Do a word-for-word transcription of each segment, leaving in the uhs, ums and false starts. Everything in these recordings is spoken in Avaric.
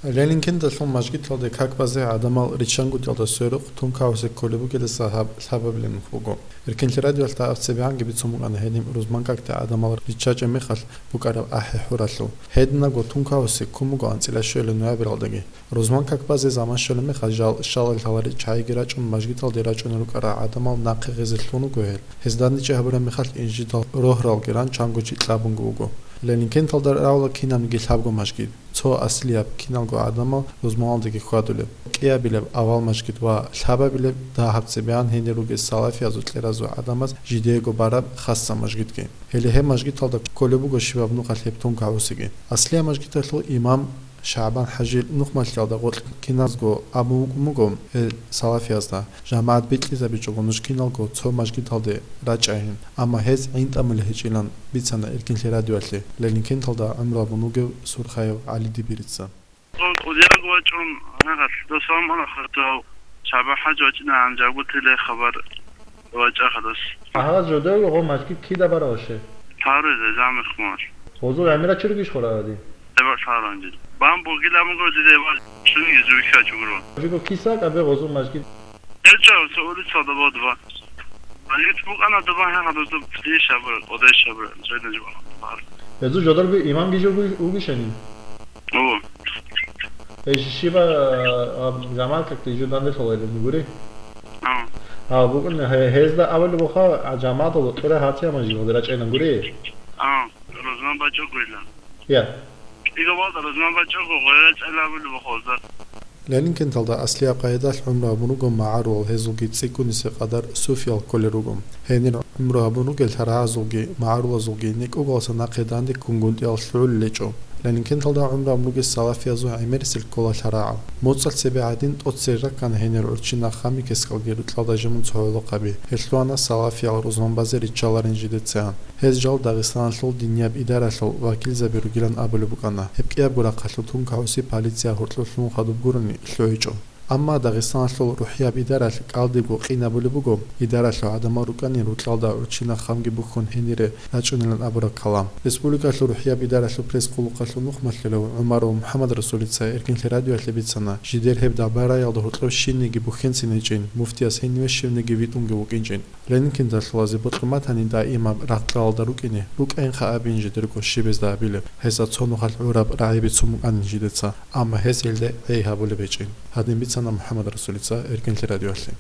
Ленинкенталъул мажгиталде как базе гӀадамал риччангутӀиялда сверухъ тункагьусе кколеб бугелдаса гьаб лъабабилеб нух буго. Эркинлъи радиоялъ дагьаб цебегӀанги бицун букӀана гьениб рузман какде гӀадамал риччачӀеб мехалъ букӀараб ахӀи-хӀуралъул. Гьединабго тункагьусе ккун буго анцӀила щвелеб ноябралдаги. Рузман как базе заман щолеб мехалъ жал щалал лъаларел чагӀиги рачӀун мажгиталде рачӀунел рукӀарал гӀадамал нахъе гъезе лъун руго гьел. Гьез дандечӀей гьабураб мехалъ инжидал рогьаралги ран чанго чи кьабунги вуго. Ленинкенталда рагӀула кинабниги лъабго мажгит. Цо аслияб, киналго гӀадамал рузманалдеги хьвадулеб, кӀиабилеб авал мажгит ва лъабабилеб дагьаб цебегӀан гьенир ругел салафиязул кьеразул гӀадамаз жидеего бараб хасаб мажгитги. Гьеле гьеб мажгиталда кколеб буго щибаб нухалъ гьеб тункагьусеги. Аслияб мажгиталъул имам ШагӀбан-хӀажил нухмалъиялда гъоркь киназго абун вукӀун буго гьел салафиязда, жамагӀат бикьизабичӀого нуж киналго цо мажгиталде рачӀайин, амма гьез гӀинтӀамулеб гьечӀилан бицана Эркинлъи радиоялъе Ленинкенталда гӀумру гьабун вугев Сурхаев ГӀалидибирица. Дун кӀудияб вачӀун, гьагъалъ досамана хатав ШагӀбан-хӀаж вачӀинегӀан жагутиле хабар вачӀа хадас. Гьагъаз жодое гъо мажгит кида барав ше? Тарузе замихмал. Гъозул гӀемерачи ругищ хъураради? Эбар лъаранги. Бан бугила муго диде эбар чуниги зуйха чугро. Жиго киса кабе гъозул мажгит? Элча улица доба два. Алит букана доба ха хадуз доб иш абра, одеш абра, зайда жуба. Езу жодарби имам гижо угишани? О. Эш шиба, а, жамаат как ты жудан де солай гури? А. А, букун гьезда авал буха, а, жамаат ло кира хатия мажи гъодра чайна гури? А, розман бачо гуйла. Я. Иго валда розман бачо гуйла, чайла авал буха оза. Ленинкенталда аслияб къайдалъ гӀумру гьабун руго магӀарулал, гьезулги цӀикӀкӀунисе къадар суфиял кколел руго. Гьенир гӀумру гьабун ругел лъарагӀазулги магӀарулазулги некӀугалса нахъе данде кунгунтӀиял лъугӀулел гьечӀо. Ленинкенталда гӀумру гьабун ругел салафиязул гӀемерисел ккола лъарагӀал. МуцӀалъ цебе гӀадин тӀоцере раккана гьенир гӀурччи нахъ гьамикесгалги рукьалда жимун цо гӀолохъаби. Гьелъугьана салафиял рузман базе риччаларин жидецигӀан. Гьез жал Дагъистаналъул динияб идаралъул вакилзаби ругилан абулеб букӀана. Гьеб кӀиябго рахъалъул тункагьуси полиция гьоркьоб лъун хадуб гурони лъугӀичӀо. Амма Дагъистаналъул рухӀияб идаралъ кӀалдибго къинабулеб буго, идаралъул гӀадамал рукӀанин рукьалда гӀурччи нахъ гьамги бухьун гьенире рачӀунилан абураб калам. Республикалъул рухӀияб идаралъул пресс-къулухъалъул нухмалъулав ГӀумаров МухӀаммадрасулица Эркинлъи радиоялъе бицана, жидер гьеб дабараялда гьоркьоб щибниги бухьенцин гьечӀин, муфтияс гьениве щибниги витӀунги вукӀинчӀин. Ленинкенталъул азе бокьун батани, даимаб рагъ-кьалалда рукӀине, рукӀайинха абин жидерго щибезда абилеб, гьесда цо нухалъ гӀураб рагӀи бицун букӀанин жидеца, амма гьес гьелде гӀей гьабулеб гьечӀин, гьадин бицана МухӀаммадрасулица Эркинлъи радиоялъе.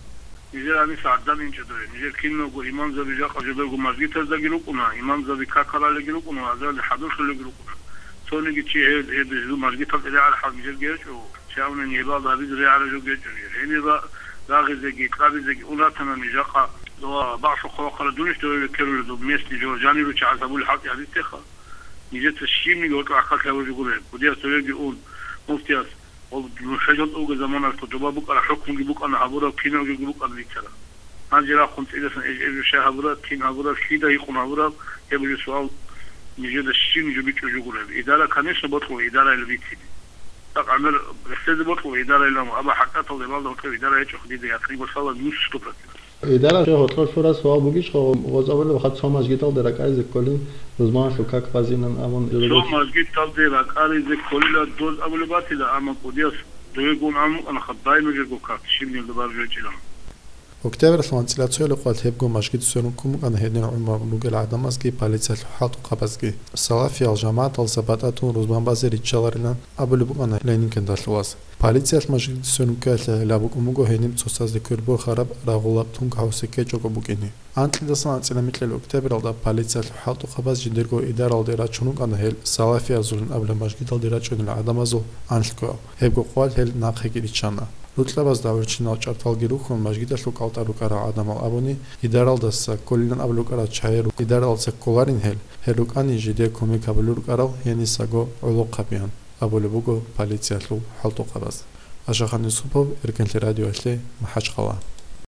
Нижер гьаниса гӀадамал инчӀо дое. Нижер киналго имамзаби жакъа жодорго мажгитаздаги рукӀуна, имамзаби какалалеги рукӀуна, азаралде хӀадурлъулелги рукӀуна. Цониги чи гьеб, гьеб, гьезул мажгитал тӀерегӀараб хӀал нижерги гьечӀо. Чавнани гьебалда гьабизе регӀараб жо гьечӀо нижер. Гьенире рагъизеги, кьабизеги ун ратанани жакъа, дова бакълъухъ вахъараб дунищ дове векерулеб, доб местный жо жаниру чагӀаз гьабулеб хӀалтӀи гьабизтеха. Нижеца щибниги гьоркьоб гӀахьаллъи гьабулеб жо гуро. Кудияс довеги ун, муфтияс, гьеб нуша жал тӀуге заманалъго доба букӀараб хӀукмуги букӀана гьабураб, киналгоги букӀана бицараб. Гьанже рахъун цӀидасан эж-эжу щай гьабураб, кин гьабураб, лъида гьикъун гьабураб, гьеб жо суал нижеда щиб жо бичӀчӀулеб жо гуро. Идара, конечно, бокьула, идарайила бицине. ТӀакъ гӀемер рехсезе бокьула идарайилан, амма хӀакъикъаталда гьебалда гьоркьоб идара гьечӀо, дида якъин босала нус сто процент. Идара, гьоркьор лъураб суал бугищ, гъо-, гъозабулеб хад цо мажгиталде ракӀаризе кколин, рузманалъул как базинан абун. Цо мажгиталде ракӀаризе кколила доз абулеб батила, амма кӀудияс довегун абун букӀана хад, дай нужерго как, щибнилда баржвечӀилан. Октябрьалъул анцӀила цоялъухъ гьебго мажгит сверун ккун букӀана гьенир гӀумру гьабун ругел гӀадамазги полициялъул хӀалтӀухъабазги. Салафиял жамагӀаталдаса батӀатун рузман базе риччаларилан абулеб букӀана Ленинкенталъулаз. Полициялъ мажгит сверун ккеялъе гӀелаб букӀун буго гьениб цоцазде квер борхараб рагъулаб тункагьусе ккечӀого букӀине. Анкьидасан анцӀила микьил октябралда полициялъул хӀалтӀухъабаз жидерго идаралде рачун рукӀана гьел салафиязулин абулеб мажгиталде рачӀунел гӀадамазул анлъго. Гьебго къоялъ гьел нахъеги риччана. Рукьабазда гӀурччинал чӀарталги рухьун, мажгиталъул кӀалтӀа рукӀарал гӀадамал абуни, идаралдаса кколилан абулеб букӀарал чагӀи ру-, идаралдаса кколарин гьел, гьел рукӀани жидее кумек гьабулел рукӀарал гьенисаго гӀолохъабиян, абулеб буго полициялъул хӀалтӀухъабаз. Ашахан Юсупов, Эркинлъи радиоялъе, МахӀачхъала.